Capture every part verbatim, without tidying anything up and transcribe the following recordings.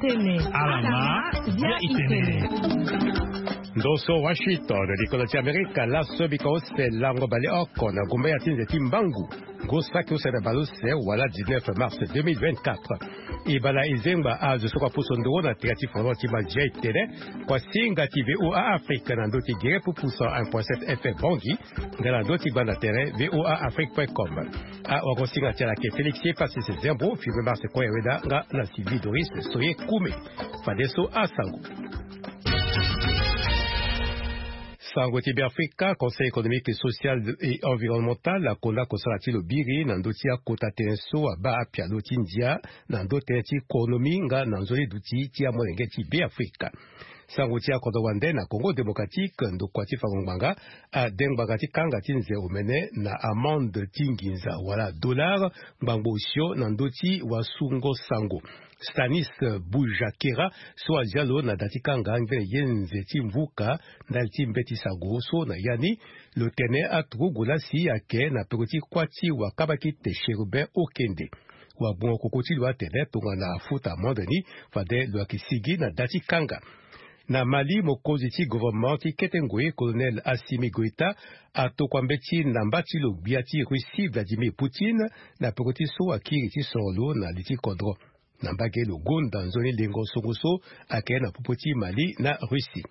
Alama, bia itene. Ndo so Washington, likolo ti Amerika, laso bika ose lango baleoko na gumba ya ti nze ti mbangu. Ngu saki use na baleuse wala dix-neuf mars deux mille vingt-quatre. E bala e zengba azo so kua puso nduru na tere ti foro ti mandia e tene, kua singa ti V O A Afrique na ndö ti gere pupusa un point sept F M Bangui, nga na ndö ti gbanda tere V O A Afrique point com. Awagosinga ti ala ayeke Félix Epassis Zembo, Fibre Mars Koyeweda nga na Sylvie Doris Soye Kume. Fadeso asango. Sango ti Beafrika, Conseil économique, social et environnemental akonda kosala ti lo biri na ndö ti akota tënë so abaa apialo ti ndia na ndö tënë ti konomi nga na nzoni duti ti amolenge ti Beafrika. Sango ti akodro wande na Congo Démocratique, ndokua ti fango ngbanga ade ngbanga ti kanga ti nze omene na amende ti nginza wala dollar ngbangbo osio na ndö ti wasungo sango. Stanis Bujakera so azia lo na da ti kanga ngbene ye nze ti mvuka ndali ti mbeti sango so na ya ni, lo tene aturugu lasi ayeke na peko ti kuâ ti wakabakite Chérubin Okende. Wagbongo koko ti lo atene tongana afuta amende ni, fade lo yeke sigi na da ti kanga. Na Mali, mokonzi ti gouvernement ti kete ngoi, colonel Assimi Goïta, atokua mbeti na mba ti lo gbia ti Russie Vladimir Poutine na peko ti so akiri ti soro lo na li ti kodro. Na mbage lo gonda nzoni lengo songo so ayeke na popo ti Mali na Russie.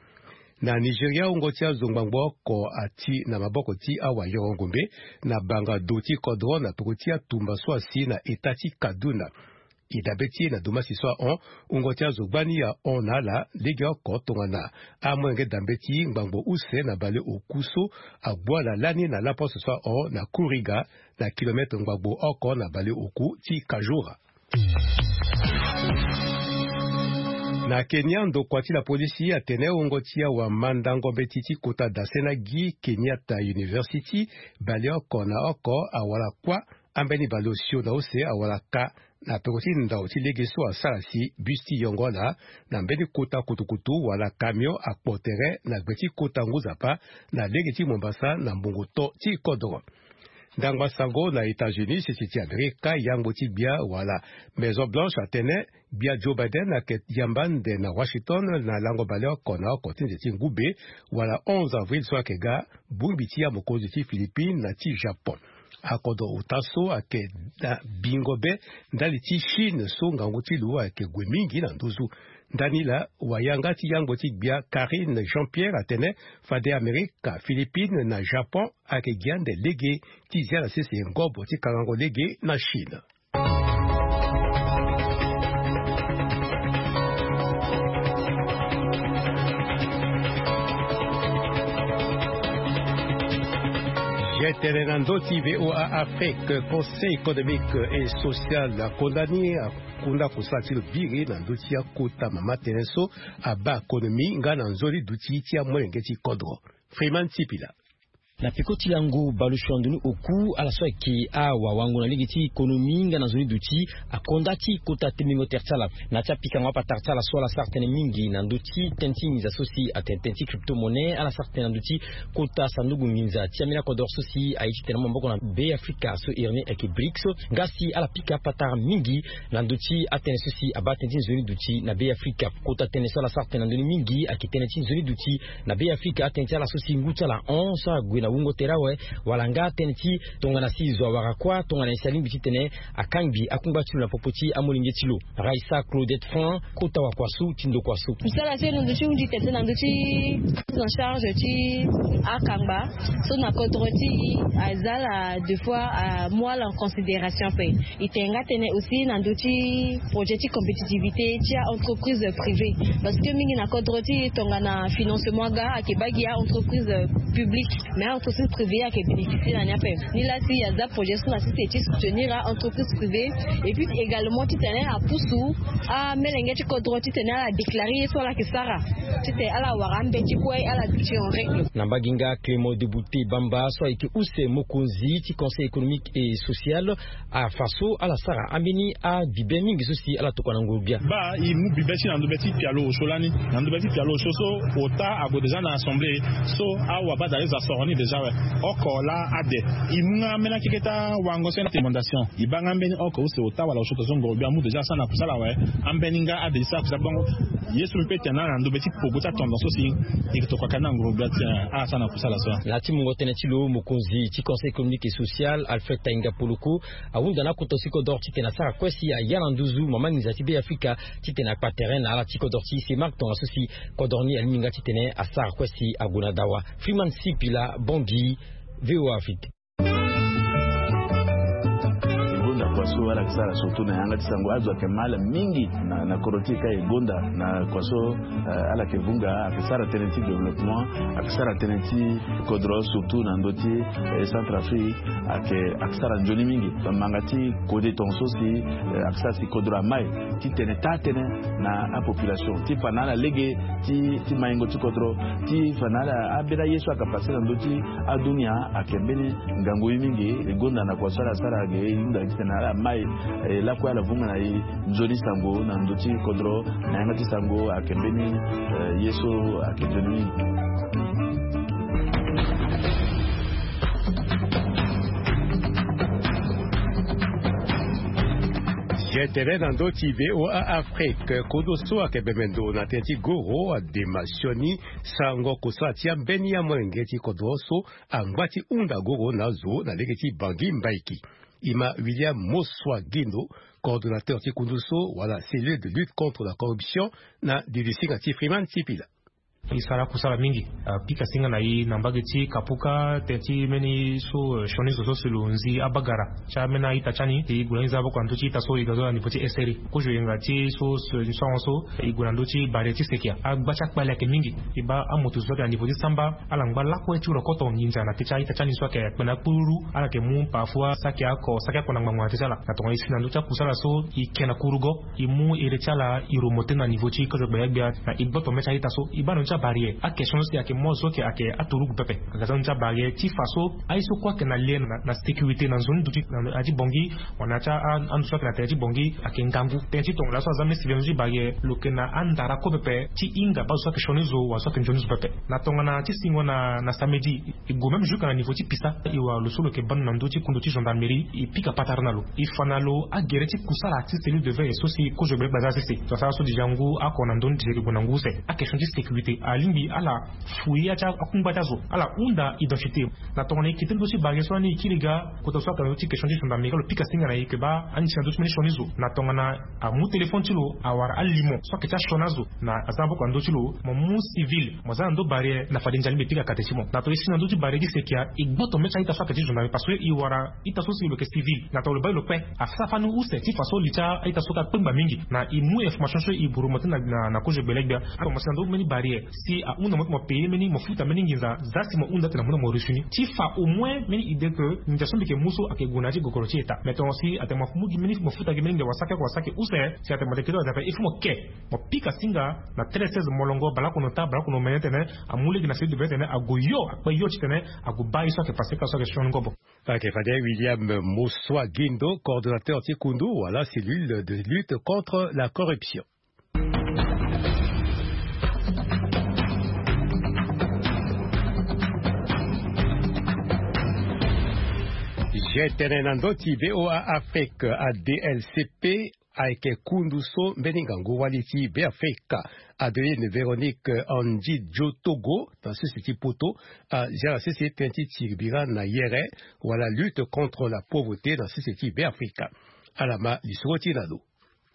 Na Nigeria, wungo ti azo ngbangbo oko ati na maboko ti awayoro ngombe na banga do ti kodro na peko ti atumba so asi na eta ti Kaduna. E dabe ti e na domasi so ahon, wungo ti azo gbani ahon na ala legeoko tongana amolenge da mbeti ngbangbo use na baleoku so agbu ala lani na laposte so ahon na Kuriga, na kilometre ngbangbo oko na baleoku ti Kajura. Na Kenya, ndokua ti lapolisi atene wungo ti awamandango mbeti ti kota dase na gi Kenyatta University baleoko na oko awara kuâ ambeni baleosio na use awara ka na peko ti ndau ti lege so asara si bus ti yongo ala na mbeni kota kutukutu wala camion akpo tere na gbe ti kota ngu nzapa na lege ti Mombasa na mbongo to ti kodoro. Ndangba sango na États-Unis, sese ti Amerika, yangbo ti gbia wala Maison Blanche atene gbia Joe Biden ayeke yamba ande na Washington na lango baleoko na oko ti nze ti ngube wala onze avril so ayeke ga, bongbi ti amokonzi ti Philippines na ti Japon. Akodro ota so ayeke na bingo be ndali ti Chine so ngangu ti lo ayeke gue mingi na nduzu. Ndani laa, wayanga ti yangbo ti gbia Karine Jean-Pierre atene fade Amerika, Philippines na Japon ayeke gi ande lege ti zia na sese ngobo ti kangango lege na Chine. Ye tene na ndö ti V O A Afrique, Conseil économique et social akonda ni, akonda kosala ti lo biri na ndö ti akota mama tënë so abaa konomi nga na nzoni duti ti amolenge ti kodro. Freeman Sipila. Na peko ti lango baleosio na ndoni oku, ala so ayeke awawango na lege ti konomi nga na nzoni duti akonda ti kota tembingo tere ti ala. Na ya ti apikango apatara ti ala so ala sara tënë mingi na ndö ti tënë ti nginza so si atene tënë ti crypto-monnaie, ala sara tënë na ndö ti kota sanduku nginza ti ambeni akodro so si aye titene amaboko na Be Afrika so iri ni ayeke brics. Nga si ala pika apatara mingi na ndö ti atënë so si abaa tënë ti nzoni duti na Be Afrika. Kota tënë so ala sara tënë na ndö ni mingi ayeke tënë ti nzoni duti na Be Afrika, atënë ti ala so si ngu ti ala hon so ague na wungo tere awe, wala nga tënë ti tongana si zo awara kuâ, tongana nyen si alingbi titene akangbi akungba ti lo na popo ti amolenge ti lo. Raissa Claudette Franc, kota wakua so ti ndokua so. Mosala ti e na ndö ti hunzi tete na ndö ti prise en charge ti akangba so na kodro ti e aza ala deux fois, amu ala en considération ape. E tene nga tënë aussi na ndö ti projet ti compétitivité ti a-entreprise privée. Parce que mingi na kodro ti e tongana financement aga ayeke baa gi a-entreprise publique, mais a-entreprise privée ayeke bénéficier na ni ape. Nilaa si aza projet so na sese ti soutenir a-entreprise privée, et puis également titene apusu amelenge ti kodro titene ala déclarer ye so ala yeke sara, titene ala wara ambeti kue, ala duti en règle. Na mbage nga, Clément Debouté Bamba so ayeke use mokonzi ti Conseil économique et social afa so ala sara ambeni abibe mingi so si ala tokua na nguru-gbia. Baa e mu bibe ti na ndobe ti pialo osio lani. Na ndobe ti pialo osio so, ota ague déjà na assemblée so awabadale zo asoro ni déjà. Awe, oko laa ade. E mu nga ambeni akeke ti awango so na recommandation. E baa nga ambeni oko use ota wala osio to so ngoro gbia amu déjà asara na kusala awe. Ambeni nga ade e sara kusala bongo. Ye so mbi pe tene na ndo be ti pogo ti atendance so si e tokua ka na ngoro gbia ti asara na kusala so. Na ya ti mungo tënë ti lo, mokonzi ti Conseil économique et social, Alfred Tainga Poloko, ahunda na akoto ti kodoro titene asara kue si aya na nduzu mama nginza ti Beafrika, titene akpa terrain na ala ti kodoro ti e. Marc tongaso si kodoro ni alingbi nga titene asara kue si ague na dawa. Freeman Sipila, Bangui, VOA Afrique. E gonda kua so ala yeke sara surtout na yanga ti sango. Azo ayeke mal mingi na, na kodro ti e ka. E gonda na kua so, eh, ala yeke vunga, ayeke sara tënë ti développement, ayeke sara tënë ti kodro, surtout na ndö ti, eh, Centrafrique, ayeke, ayeke sara nzoni mingi. Manga ti kode tongaso si, eh, ayeke sara si kodro amai titene taa tënë na apopulation, ti fa na ala lege ti, ti maingo ti kodro, ti fa na ala ambeni aye so ayeke pase na ndö ti adunia ayeke mbeni ngangu ye mingi. E gonda na kua so ala sara ge, e hunda titene ala mai, eh, lakue ala vunga na e nzoni sango na ndö ti kodro, na yanga ti sango ayeke mbeni, eh, ye so ayeke nzoni mingi. Ye tene na ndö ti VOA Afrique, kodo so ayeke bembe ndo na tënë ti goro adema sioni sango kosala ti ambeni amolenge ti kodro so angba ti hunda goro na azo na lege ti Bangui Mbaiki. E ma William Moswa Gindo, coordonnateur ti kundu so wala cellule de lutte contre la corruption na dilisinga ti Freeman Sipila. E sara akusala mingi, apika singa na e na mbage ti Kapuka, tënë ti mbeni so, eh, sioni zo so si lo nzi abagara ti ambeni a-ita ti ani. E gue na nzaboko na ndö ti ita so e ga zo na niveau ti S R I. Kozo yenga ti so, so, so, so, e gue na ndö ti bare ti sekia. Agba ti akpale ayeke mingi. E baa amoto zo so ayeke na niveau ti samba, ala ngba lakue ti rokoto nginza na tënë ti a-ita ti ani so ayeke kpe na akpururu. Ala yeke mu parfois saki oko, saki oko na ngbangbo na tënë ti ala. Na tongana e si na ndö ti akusala so, e ke na kurugo, e mu ere ti ala, e remonter na niveau ti kozo gbelegbia, na e gboto mê ti a-ita so. E baa na ndö ti abarrière, a-question so si ayeke mu azo so ayeke, ayeke aturugu pepe. Aga za na ndö ti abarrière ti fa so aye so kue ayeke na lien na, na sécurité na nzoni ndo ti, na, na ya ti Bangui, wala na ya ti a, a, ando so ayeke na tere ti Bangui ayeke ngangu. Tënë ti tongaso aza mbeni sivil na ndö ti barrière, lo yeke na andara kue pepe ti hinga baa zo so ayeke sioni zo wala zo so ayeke nzoni zo pepe. Na tongana ti singo na, na samedi, e gue même jusque na niveau ti pisa. E wara lo so lo yeke bando na ndö ti kundu ti gendarmerie, e pika patara na lo, e fa na lo agere ti kusala ti cellule de veille so si kozo gbelegbia aza sese. Lo asara so déjà ngu oko na ndö ni ti yeke gue na ngu use. A-question ti sécurité, alingbi ala fouiller ya ti akungba ti azo, ala hunda identité. Na tongana e kete ndö ti barrière so lani e kiri ga kota so ayeke na ndö ti question ti gendarmerie, lo pika singa na e ke baa ani si na ndö ti mbeni sioni zo. Na tongana amu téléphone ti lo, awara alimo so ayeke ti asioni azo, na aza na boko na ndö ti lo, mo mu civil, mo za na ndö barrière, na fade nzali mbi pika kate ti mo. Na tongana e si na ndö ti barrière ti sekia, e gboto mê ti a-ita so ayeke ti gendarmerie, parce que e wara ita so si lo yeke civil. Na tongana lo baa e lo kpe, asara fani use ti fa so li ti a-ita so ka kpengba mingi. Na e mu information so e buru mo ti na, na, na kozo gbelegbia. Atongana mo si na ndö ti mbeni barrière, si ahunda mo ti mo payer mbeni, mo futa mbeni nginza, za si mo hunda ti na mo na mo reçu ni. Ti fa au moins mbeni idée que nginza so mbi yeke mu so ayeke gue na ya ti gogoro ti État. Mais tongana si atene mo mu gi mbeni, mo futa gi mbeni nginza, wa saki oko, wa saki use, si atene mo tene kete wa dape, il faut mo ke. Mo pika singa na treize seize molongo, baleoko na ota, baleoko na omene, titene amu lege na cellule de veille, titene ague yo, akpe yo titene ague baa ye so ayeke passé, ka so ayeke sioni ngobo. Ayeke fade William Moswa Gindo, coordonnateur ti kundu wala cellule de lutte contre la corruption. Ye tene na ndö ti VOA Afrique, A D L C P, ayeke kundu so mbeni ngangu wali ti Beafrika, Adeline Véronique Andy Joe Togo, na sese ti poto, azia na sese tënë ti tiri bira na yere, wala lutte contre la pauvreté na sese ti Beafrika. Ala ma lisoro ti e na lo.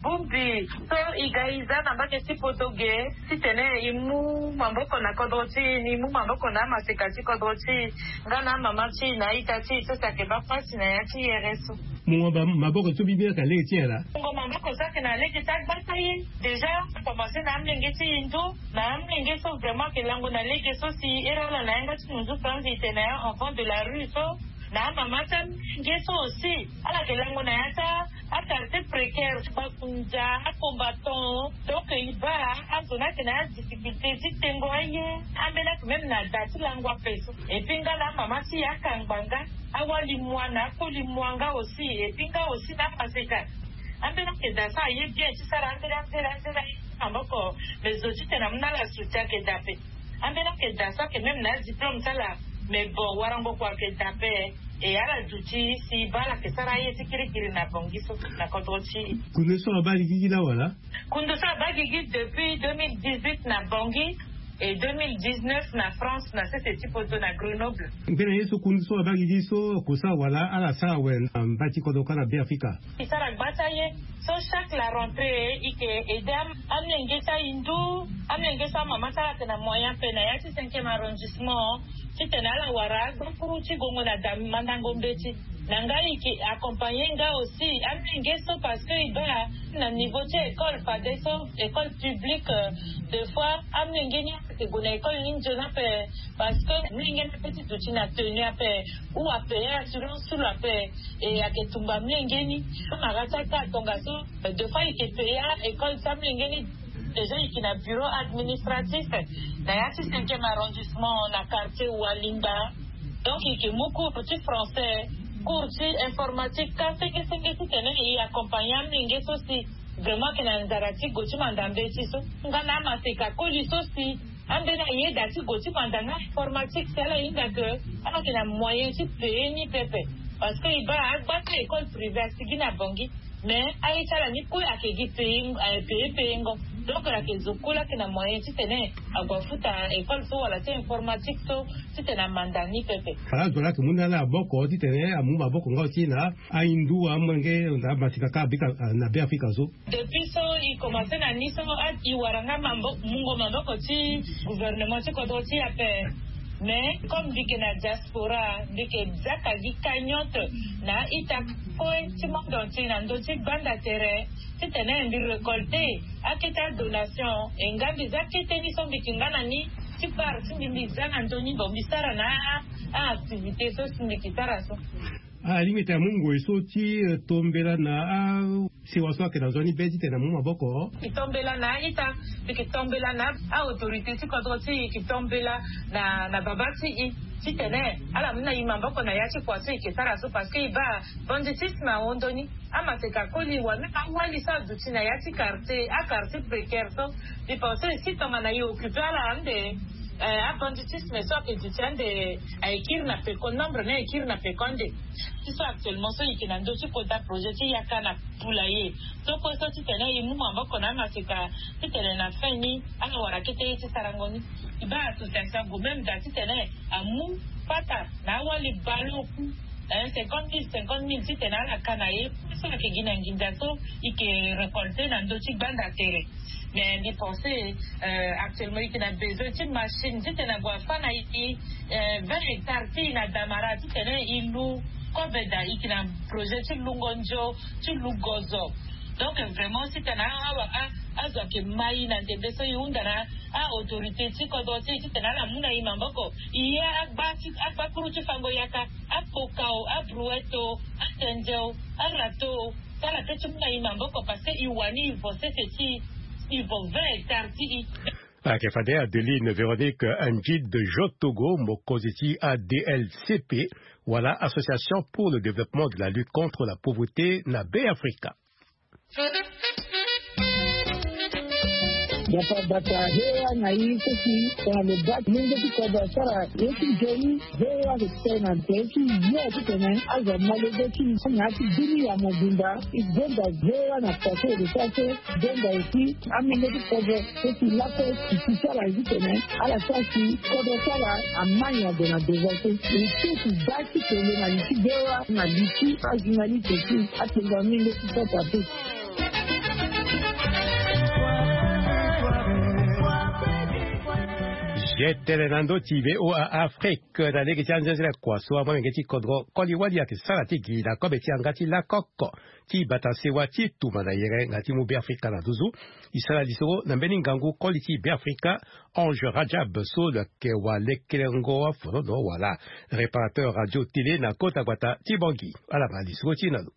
Bongbi, so e ga e za na mbage ti poto ge, titene e mu maboko na kodro ti e, ni mu maboko na amaseka ti kodro ti e, nga na amama ti e na a-ita ti e so si ayeke baa pasi na ya ti yere so. Mo ma ba maboko so mbi bia ka lege ti nyen laa? Mo ma maboko so ayeke na lege ti agbata ye. Déjà, a commencé na amolenge ti e ndo, na amolenge so vraiment ayeke lango na lege so si ere ala na yanga ti nunzu franzi e tene enfant de la rue so, na amama ti amolenge so aussi, ala yeke lango na ya ti a-quartier précaire, bakunja, acombattant. Donc e baa azo ni ayeke na adifficulté ti tengo aye. Ambeni ayeke même na da ti lango ape so. Et puis nga na amama ti e akangba nga. Awali mua na akoli mua nga aussi, et puis nga aussi na amaseka. Ambeni ayeke da so aye bien ti sara anzere anzere anzere aye ti maboko. Mais zo titene amu na ala soutien ayeke da ape. Ambeni ayeke da so ayeke même na adiplôme ti ala. Mais bon, warango kua ayeke daa ape. E ala duti si baa ala yeke sara aye ti kirikiri na Bangui so na kodro ti e. Kundu so abaa gigi laa wala? Kundu so abaa gigi depuis deux mille dix-huit na Bangui et deux mille dix-neuf na France, na sese ti poto na Grenoble. Mbeni ye so kundu so abaa gigi so oko sara wala ala sara awe na mbai ti kodro kâ na Beafrika? E sara gba ti aye. So chaque la rentrée e yeke aide amolenge ti ahindu, amolenge so amama ti ala ayeke na moyen ape na ya ti cinquième arrondissement, titene ala wara agbakuru ti gongo na da mandango mbeti. Na ngai e yeke accompagner nga aussi amolenge so, parce que e baa na niveau ti école fadeso, école publique, euh, des fois amolenge ni ayeke gue na école ni nzoni ape, parce que amolenge ni ape ti duti na tenue ape ou apayer assurance sous la paix. Et ayeke tumba amolenge ni. So na ga ti aka tongaso, euh, des fois e yeke payer école ti amolenge ni. Déjà e yeke na bureau administratif na ya ti cinquième arrondissement na quartier Walinga. Donc e yeke mu cours ti français, cours ti informatique, ka senge senge titene e accompagner amolenge so si vraiment ayeke na nzara ti gue ti manda mbeti so. Nga na amaseka koli so si ambeni ayeda ti gue ti manda nga informatique si ala hinga ke ala yeke na moyen ti payer ni pepe. Parce que e baa agba ti école privée asigi na Bangui. Mais aye ti ala ni kue ayeke gi payer, eh, payer, payer ngo. Donc ala yeke zo kue laa ayeke na moyen titene ague afuta école so wala ti informatique so titene amanda ni pepe. Ala zo laa ayeke mu na ala maboko titene amu maboko nga aussi na ahindu amolenge na amaseka kâ bika, ah, na Beafrika so. Depuis so e commencer na ni so, ah, e wara nga mambo-, mungo maboko ti gouvernement ti kodro ti e ape. Mais comme mbi yeke na diaspora, mbi yeke zia ka gi cagnotte na a-ita kue ti monde entier na ndö ti gbanda tere titene mbi récolter akete adonation. E nga mbi zia kete ni so mbi yeke nga na ni ti part ti mbi, mbi zia na ndö ni, bon, mbi sara na a-activité so si mbi yeke sara so. Alingbi tene amu ngoi so ti, eh, tombela na asewa so ayeke na nzoni be titene amu maboko. E tombela na a-ita, e yeke tombela na a-autorité ti kodro ti e, e yeke tombela na, na baba ti e titene ala mu na e maboko na ya ti kua so e yeke sara so, parce que e baa banditisme ahon ndoni. Amaseka koli wala même awali so aduti na ya ti quartier, a-quartier précaire so, mbi pense si tongana e occupé ala ande, eh, abanditisme so ayeke duti ande aye kiri na peko, nombre ni aye kiri na peko ande. Ti so actuellement so e yeke na ndö ti kota projet ti yaka na poulailler. So kue so titene e mu maboko na amaseka titene na fin ni ala wara kete ye ti sarango ni. E baa association ague même daa titene amu pata na awali baleoku, eh, cinquante mille, cinquante mille titene ala ka na ye. So ayeke gi na nginza so e yeke récolter na ndö ti gbanda tere. Mais mbi pense, euh, actuellement e yeke na besoin ti machine titene ague afâ na e, euh, vingt hectares ti e na Damara titene e lu kobe daa. E yeke na projet ti lungo nzo, ti lu gozo. Donc vraiment titene a, a, a, azo ayeke ma e na ndembe so e hunda na a-autorité ti kodro ti e titene ala mu na e maboko. E ye agba ti, agbakuru ti fango yaka, akpokao, abrouette o, atende o, arato o, ti ala kue ti mu na e maboko parce que e wani e vo sese ti e, e vo vingt hectares ti e. Ayeke fade Adeline Véronique Ndjid Jotogo, mokonzi ti A D L C P, wala Association pour le développement de la lutte contre la pauvreté na Beafrika. Dapa bata hewa na i seki tongana lo baa mungo ti kodro asara ye ti nzoni. Hewa ayeke tene na nze ti yo titene azo amolenge ti na ya ti dunia mobimba. E gonda hewa na pase ere so ake gonda aussi amolenge ti kodro so si lakue si ti sara ye titene ala sara si kodro ti ala ama nyango na devant so. E ti si baa ti tene na li ti hewa na li ti ajournaliste aussi. Atenga amolenge ti sota pe. Ye tene na ndö ti V O A Afrique na lege ti anzenze na kua so amolenge ti kodro koli wali ayeke sara ti gi na kobe ti yanga ti lakoko ti bata sewa ti tuma na yere nga ti mu Beafrika na nduzu. E sara lisoro na mbeni ngangu koli ti Beafrika Ange Rajab so lo yeke wa lekelengo afolono wala réparateur radio télé na kota gbata ti Bangui. Ala ma lisoro ti e na lo.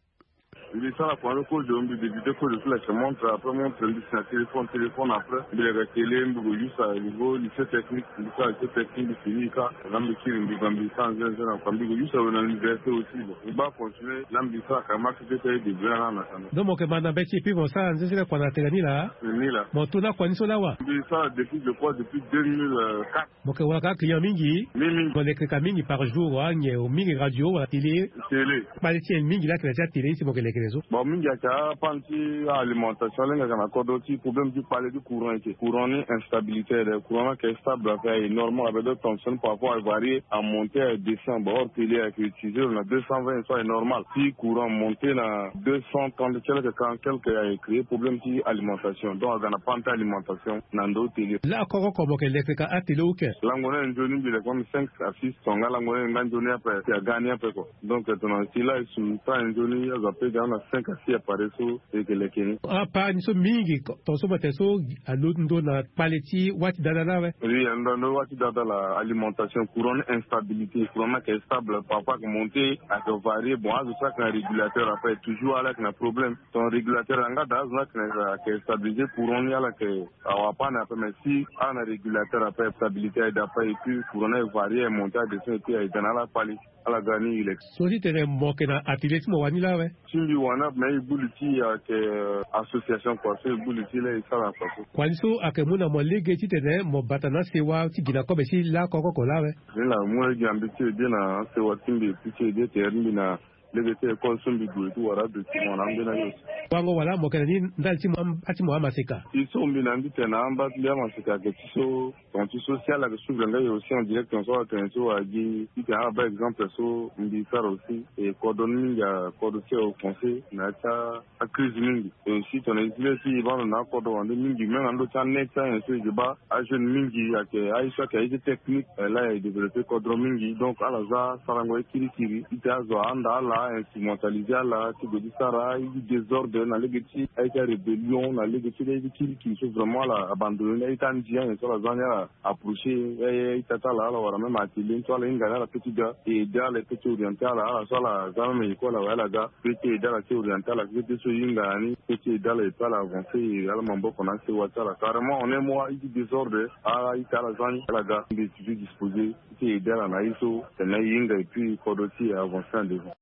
Mbi sara kua ni kozo, mbi débute kozo ti leke montre, après montre mbi si na téléphone, téléphone après mbi leke télé, mbi ko use à niveau lycée technique, mbi sara lycée technique, mbi fini ka. Nga mbi kiri mbi ga mbi sara nzenze na kua, mbi ko use awe na université aussi. Bon, mbi baa continuer la, mbi sara ka marché ti ete aye début na na kana. Donc mo yeke ma na mbeti et puis mo sara nzenze na kua na tene ni laa? Ni laa. Mo to na kua ni so lawa? Mbi sara depuis, je crois, depuis deux mille quatre. Mo yeke wara ka client mingi? Mingi mingi. Mo leke ka mingi par jour, anyen mingi radio wala télé? Télé. Kpale ti nyen mingi laa ayeke na ya ti atélé ni si mo yeke leke na ye so? Bon, mingi ayeke apanne ti alimentation, alenge ayeke na kodro ti problème ti kpale ti courant eke. Courant ni instabilité aye de, courant ni ayeke stable, ayeke aye normal, avec d'autres tensions parfois avarier, amonter, adescend. Bon, or télé ayeke utiliser lo na deux cent vingt so aye normal. Si courant monter na deux cent trente ti ala ayeke quarante quelque, aye créer problème ti alimentation. Donc aga na panne ti alimentation na ndo télé. Laa koko oko mo yeke leke ka atélé ou ke? Lango ni aye nzoni mbi leke même cinq à six tonga, lango ni aye nga nzoni ape, si aga ni ape kua. Donc tongana si laa e su ta nzoni azo ape ga na cinq à six appareil so e yeke leke ni. Apanne so mingi ko, tonga so mo tene so alondo na kpale ti wâ ti dada laa awe? Oui, alondo na wâ ti dada laa, alimentation, courant ni instabilité, courant ni ayeke stable, parfois ayeke monter, ayeke varier. Bon, azo so ayeke na régulateur ape toujours ala yeke na problème. Ton régulateur yanga daa, azo ni ayeke na, ayeke stabiliser courant ni, ala yeke awa panne ape, mais si ala na régulateur ape, stabilité aye daa ape, et puis courant ni aye varier, aye monter, adescend, et puis aye ga na ala kpale. Ala ga ni e leke. So ti tene mo yeke na atelier ti mo wani laa awe? Ti mbi wani ape, mais e gbu li ti e ayeke, euh, association kua so e gbu li ti e laa e sara kua so. Kua ni so ayeke mu na mo lege ti tene mo bata na asewa ti gi na kobe ti lakoko oko laa awe? Ni laa mu lege na mbi ti e de na asewa ti mbi, e pu ti e de tere ti mbi na lege ti école so mbi gue ti wara adocument na ambeni aye so. Wango wala mo yeke na ni ndali ti mo am-, ati mo amaseka? Si so mbi na mbi tene na amba ti mbi amaseka ayeke ti so, ton ti so si ala yeke suivre nga e aussi en direct, ton so ala tene so agi ti tene ala baa exemple so mbi sara aussi. E kodro ni mingi akodro ti e offensé na ya ti a, acrise mingi. E aussi tongana e zi lê ti e baa ndo na akodro wande mingi, même na ndö ti anet ti anyen so e yeke baa ajeune mingi ayeke aye so ayeke aye ti technique, eh, laa e développé kodro mingi. Donc ala za sarango ye kirikiri ti tene azo ahanda ala, instrumentalisé ala ti gue ti sara aye ti désordre na lege ti aye ti arébellion, na lege ti aye ti kirikiri so vraiment ala abandonné ni. Aye ti andi anyen so ala za ni, ala approché aye, aye ti ata ala, ala wara même atelier ni so ala hinga ni, ala peut ti ga e aidé ala, e peut ti orienté ala, ala so ala za même école awe ala ga. Pe ti aidé ala ti orienté ala, pe ti so e hinga na ni, pe ti aidé ala, et puis ala avancé, e ala maboko na asewa ti ala. Carrément, en un mois, aye ti désordre, a, aye ti ala za ni, ala ga. Mbi toujours disposé ti aidé ala na ye so tene e hinga, et puis kodro ti e avancé en devant.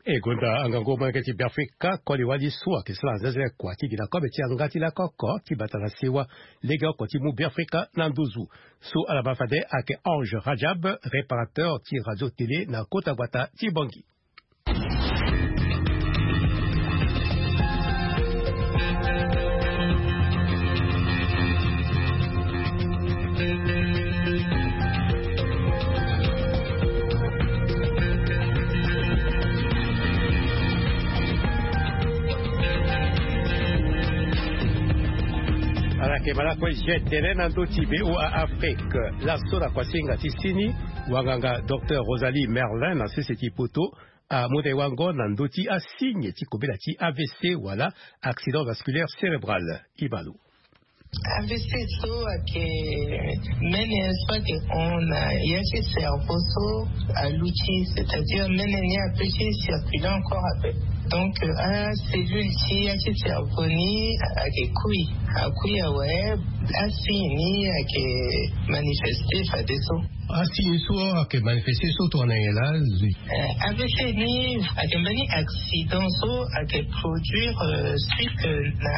E gonda angangu molenge ti Beafrika, koli wali so ayeke sara nzenze kua ti gi na kobe ti yanga ti lakoko ti bata na sewa legeoko ti mu Beafrika na nduzu. So ala baa fade ayeke Ange Rajab, réparateur ti radio télé na kota gbata ti Bangui. Ala yeke ma lakue je tene na ndö ti V O A Afrique. Laso na kuasinga ti sini, wanganga docteur Rosalie Merlin na sese ti poto amu na e wango na ndö ti asigne ti kobela ti A V C wala accident vasculaire cérébral. E ma lo. A V C so ayeke mene so ayeke hon na ya ti cerveau so aluti, c'est-à-dire mene ni apeut ti circuler encore ape. Donc, euh, acellule ti ya ti cerveau ni ayeke kui, akui awe, asigne ni ayeke manifesté fadeso. Asigne so ayeke manifesté so tongana nyen laa? Eh, A V C ni ayeke mbeni accident so ayeke produire, euh, suite, euh, na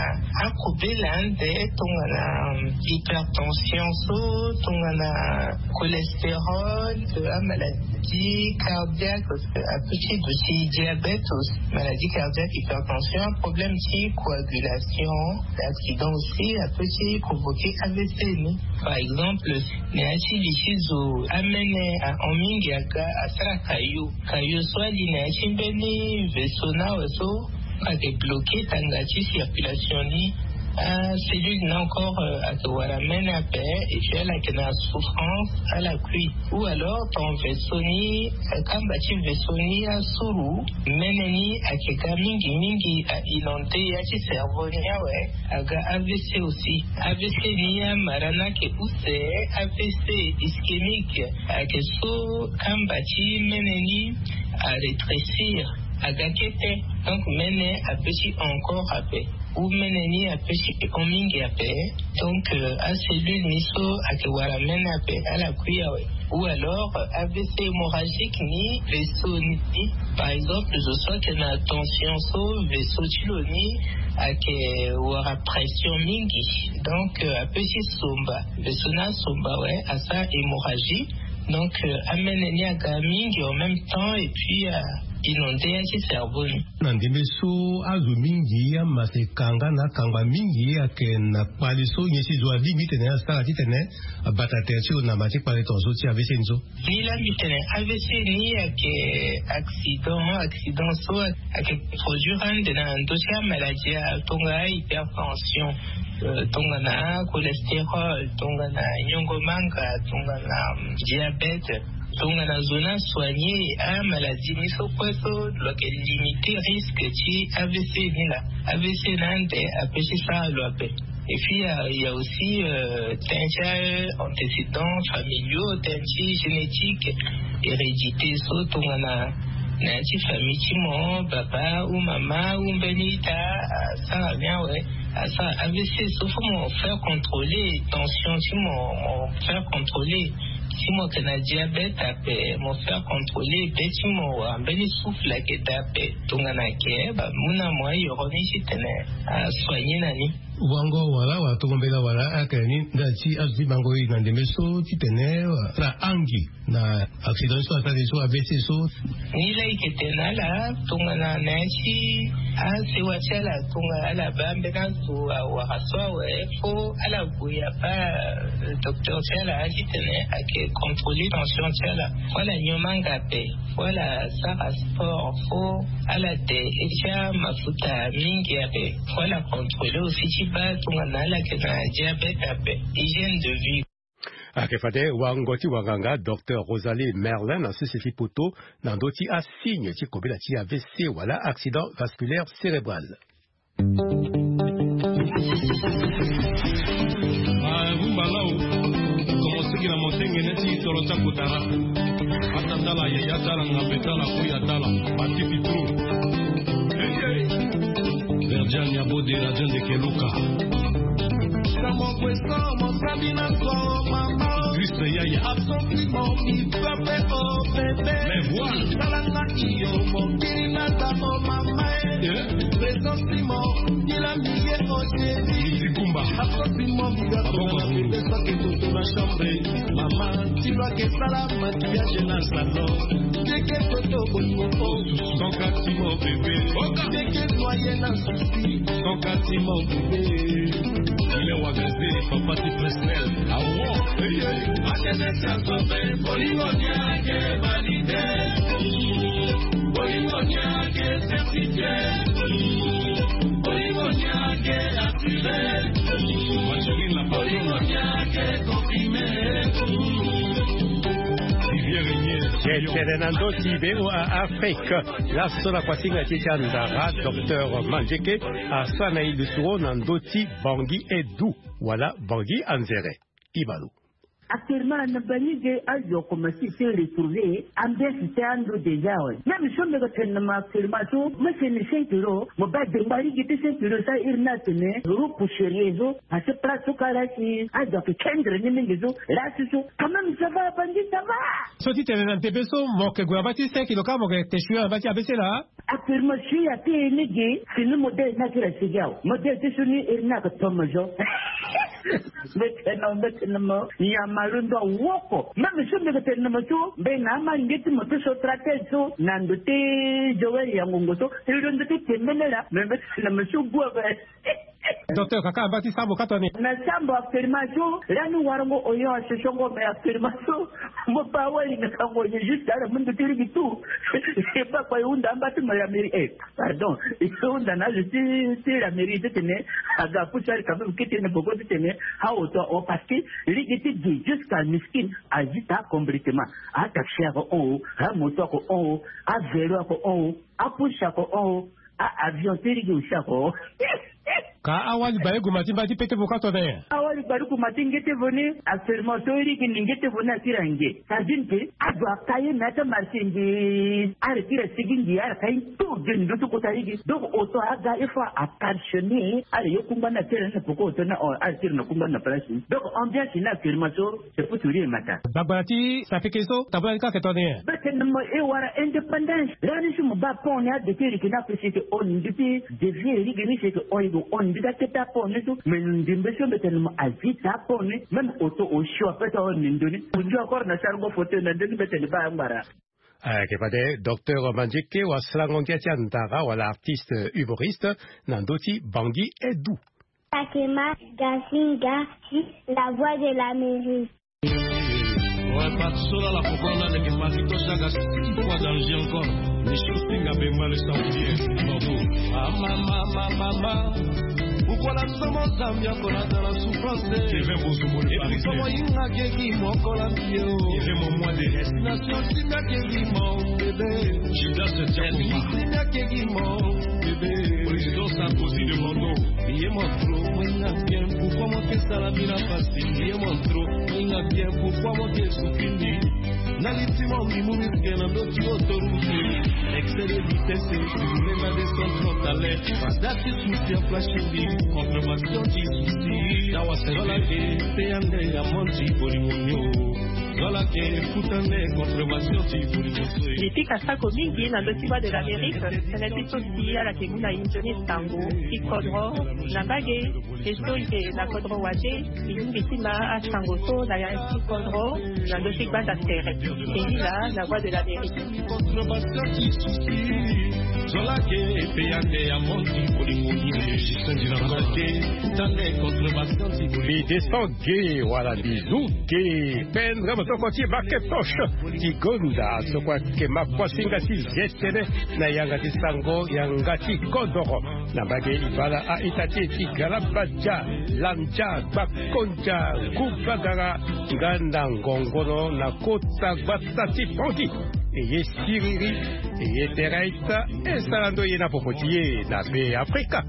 akobela ande tongana, euh, hypertension so, tongana cholestérol, euh, amaladie cardiaque, parce que apeut ti duti diabète aussi, maladie cardiaque, hypertension, problème ti coagulation, accident aussi apeut ti provoquer A V C ni. Par exemple, na ya ti li ti zo amene ahon mingi aga asara kayo. Kayo so ali na ya ti mbeni vaisseau ni awe so ayeke bloqué tanga ti circulation ni. Acellule ni encore, euh, ayeke wara mene ape, et puis ala yeke na souffrance, ala kui. Ou alors ton vaisseau ni, euh, kamba ti vaisseau ni asuru, mene ni ayeke ga mingi mingi, a inondé ya ti cerveau ni awe. Aga A V C aussi. A V C ni amara ni ayeke use, A V C ischémique, ayeke so kamba ti mene ni arétrécir. Aga kete. Donc mene apesi encore ape, ou mene ni apesi hon mingi ape. Donc euh, acellule ni so ayeke wara mene ape, ala kui awe. Ou alors euh, avc hémorragique ni, vaisseau ni, par exemple zo so ayeke na tension so, vaisseau ti lo ni ayeke wara pression mingi. Donc euh, apesi somba, vaisseau ni asomba awe, asara hémorragie. Donc euh, amene ni aga mingi en même temps et puis euh, inonde ya ti cerveau ni. Na ndembe so azo mingi amasa ekanga na akangba mingi, ayeke na kpale so nyen si zo alingbi titene asara titene abata tere ti lo na ma ti kpale tongaso ti avc ni so? Ni la mbi tene avc ni ayeke accident, accident so ayeke produire ande na ndö ti amaladie ya tonga hypertension, euh, tongana cholestérol, tongana nyongo manga, tongana diabète, tongana zo ni asoigner amaladie ni so kue so lo yeke limiter risque ti avc ni la. Avc ni ande apesi sara lo ape. Et puis il y a, il y a aussi euh, tënë ti antécédents familiaux, tënë ti génétique, hérédité so tongana na ya ti famille ti mo, baba ou mama ou mbeni ita asara ni awe, asara avc so, faut mo faire contrôler tension ti mo, mo faire contrôler. Si mo yeke na diabète ape, mo faire contrôler be ti mo, wala mbeni souffle ayeke daa ape. Tongana ayeke, ba mu na mo ayoro ni titene asoigner na ni. Wango wala, wala tongo mbela wala ayeke na ni ndali ti azo ti bango e na ndembe so titene asara angi na accident so asara so avc so? Ni la e yeke tene na ala tongana na ya ti asewa ti ala, tongana ala baa mbeni azo awara so awe, faut ala gue abaa euh, docteur ti ala titene ayeke contrôler tension ti ala. Faut ala nyon manga ape, faut ala sara sport, faut ala de ti amafuta mingi ape, faut ala contrôler aussi ti baa tongana ala yeke na diabète ape. Hygiène de vie. Ayeke fade wango ti wanganga docteur Rosalie Merlin na sese ti poto na ndö ti asigne ti kobela ti avc wala accident vasculaire cérébral. Rumba lao. Commencé ki na motengene ti tolo ti akotara. Ata tala yeye atala ngambe tala kuya tala bati pitru. Verdian ya bode la jande ke luka. Kristo yaya. Mais voilà. Zikumba. Mama, ti lo ake sala maquillage na salon. Ndeke foto bolingo po. Son kati mo bébé. Ndeke noye na souci. Son kati mo bébé. Il est wagaze, papa ti Fresnel. Awo. Eye. Akene sa sobe. Bolingo ni ake valide. Bolingo ni ake certifié. Bolingo ni ake assuré. Bolingo ni ake confirmé. Tene na ndö ti voa Afrique. Laso na kuasinga ti e ti andara docteur Manzeke asara na e lisoro na ndö ti Bangui Edu wala Bangui Anzere. Ibalo. Actuellement na bangi ge azo akomanse ti retrouver ambiance ti ando déjà awe. Même so mbi yeke tene na mo actuellement so mo sene cinq euros, mo baa dengba lege ti cinq euros so airi ni atene euro pousserier so. Parce que place so kâ la si azo ayeke kendre ni mingi so, la si so quand même ça va, bangi ça va. So ti tene na ntepe so mo yeke gue na baa ti cinq euros kâ mo yeke te shué na baa ti abc laa. Actuellement si ya ti e ni ge, si ni modèle ni akiri asigi awe. Modèle ti so ni iri ni ayeke tomo zo. Mbi tene na mo, mbi tene na mo, nyama londo awoko. Même so mbi yeke tene na mo so mbi na amalinge ti mo ti so tratele so na ndo ti Joël ya ngongo so, e londo ti tembene laa, me mbi tene na mo so gue ape. Docteur, kaka amba ti sambo kâ toni. Na sambo actuellement so lani warango oyon asosongo, mais actuellement so mo baa wali na kango ye juste ala mundu ti ligi tout. E baa kpa e hunda amba ti mo la mairie, eh, pardon, e hunda na azo ti, ti la mairie titene aga apusu ali quand même kete na boko titene aoto aho, parce que ligi ti gi jusqu'à miskin azi ta complètement. Ataxi ako hon o, amoto ako hon o, avelo ako hon o, apusu ako hon o, a avion ti ligi aussi ako hon o. Ka awali baleku ma ti mba ti pete vo ka tone. Awali baleku ma ti nge te vo ni. Afirmateur iri gi ni nge te vo ni atiri ange. Sardine pe ado aka ye me ata marché nge. Ara tiri asigi nge ara ka ye. Tout de ndo ti kota iri gi donc oto aga il faut a parchemin. Ara ye kungba na tiri na poko oto na ara tiri na kungba na place ni donc ambiance na afirmateur. C'est pour sourire mata. Bagbara ti sapeke so tabula ni ka ke tone. Bete na mo e wara indépendance. Rani si mo ba pon ni adete riki na pe seke on ndi ti devie rigi ni seke on yigo on ndi ta keta pon ni so. Mais ndimbe so bete na mo avita pon ni. Même oto osio apeta on ni ndoni. Ondio akor na sargo foto na ndoni bete ni ba ngbara. Ayeke fade docteur Mandieke wasalango ngia ti andara wala artiste humoriste na ndö ti Bangui Edou. Takema Gasinga ti La Voix de l'Amérique. Ouais, Patsola la comprendre avec Marito Chagas, quoi danger encore. Les choses qui n'avaient mal sorti, hein. Bravo. Ah, maman, maman, maman. Pourquoi la semence a mis encore dans la souffrance? Et puis, comment il n'a que qui m'en colle à pied, oh. Nation simia ke gi mo bebe. Judas Diakoma. Simia ke gi mo bebe. Président Sarkozy de Mondo. Ye mo tro mo inga bien. Pourquoi mo ke sala bina pasi? Ye mo tro mo inga bien. Pourquoi mo ke sukindi? Na litimo mi mu mi ke na do ti autoroute. Excès de vitesse, tu voulais ma descendre frontale. Pas dati souci en flash ndi. Contrevention ti souci. Dawa c'est la ke te ande ya monti polimonio. Voilà que écoute en conservation ti politique. Litika sako mingi na ndö ti Voix de l'Amérique. Tënë ti so si ala ke mu na inzo ni sango ti kodro na mbage. E so e na kodro wade e yungi ti ma asango so na ya ti kodro na ndö ti gbanda tere. E yila na Voix de l'Amérique. Conservation ti souci. Zola ke e pe ande ya monti politique. Justin Dinango. Écoute en conservation ti politique. Mbi descend ge wala mbi zu ge. Pendre motoko ti Maketoche ti gonda so kue ayeke ma kuasinga ti ze tënë na yanga ti sango yanga ti kodoro. Na mbage e bala a-ita ti e ti galabadia, landia, gbakondia, gubagara nga na ngongono na kota gbata ti Bangui. E ye siriri, e ye tere aita, e sara ndo ye na popo ti e na Be Afrika.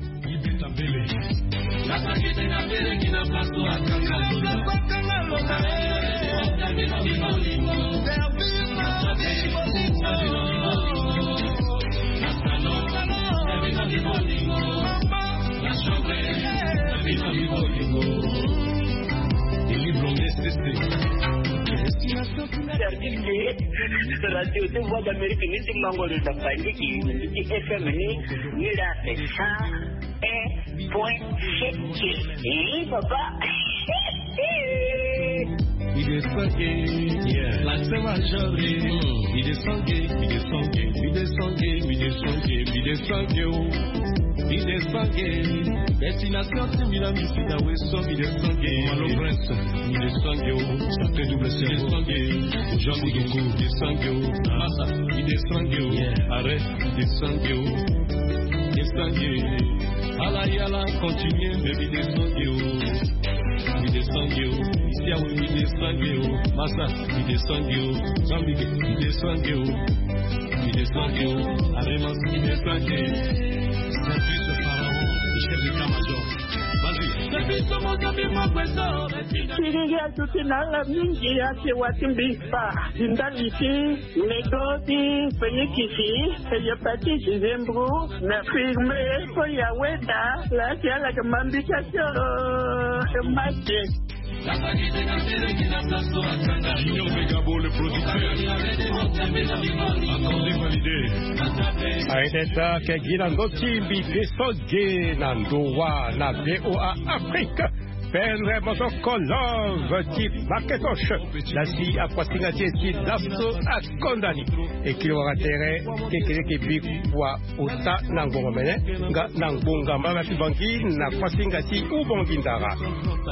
Service de radio de Voix d'Amérique ni ti mango de Dafandiki ni ti F M ni ni la pe cent un point sept. Eh, papa. Il est sangué, yeah. La semaine. Il est sangué, il est sangué, il est sangué, il est sangué, il est sangué, oh. Il est sangué. Destination ti mbi na mbi si na weso, il est sangué. Malo Prince, il est sangué, oh. Sacré double C, il est sangué. Jean Boudoukou, il est sangué, oh. Massa, il est sangué, oh. Yeah. Arrête, il est sangué, oh. Il est sangué. Ala yala, continue, mais il est sangué, oh. Mbi descend yo, isi awe mbi descend yo, masa mbi descend yo, Jean Miguel mbi descend yo, mbi descend yo, Aremas mbi descend yo. C'est lui ce pharaon, le chef d'état-major. Vas-y. C'est lui ce mon ami, mon président. Kiringi atuti na ala mingi ake wati mbi pa ndali ti Medo ti Fenikisi, hépatite, Zembro, na firme, ko ya weda, la ti ala ke mambika tio, make. Junior Megabo, le producteur. Accordé, validé. Aye teta ke gi na ndö ti mbi ke so ge na ndo wa na V O A Afrique. Pendre motoko love ti Maketoche. Lasi akuasinga ti e ti laso akonda ni. E kiri wara tere kekereke bikua ota na ngbongo mene nga na ngbonga mbala ti Bangui na kuasinga ti Ubangui Ndara.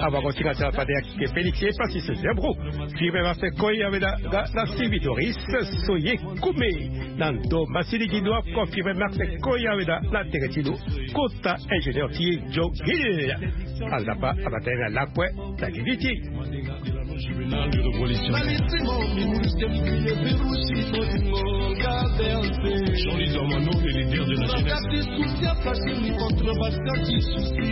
Abango ti nga ti ala fade ayeke Félix Epasis Zebro. Firme Marseille Koya Weda nga na Sylvie Doris so ye kume na ndo masili gi ndo ako. Firme Marseille Koya Weda na tere ti lo kota ingénieur ti e Joe Gill. Anzapa abata ye na lakue na gigi ti e. Jean-Louis Dormano, le leader de la jeunesse. Contrebassanti souci.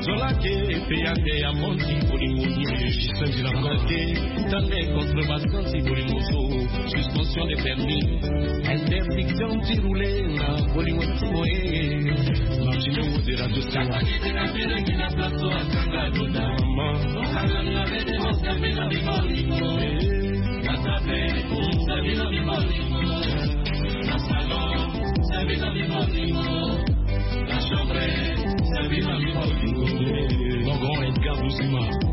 Zola ke pe ya te ya mondi bolingo ni. Justin Dilanga te. Tande contrebassanti bolingo so. Suspension de permis. Interdiction ti rouler na bolingo ti moye. Martino de Radio Star. Maman. Mon grand Edgar Boussima.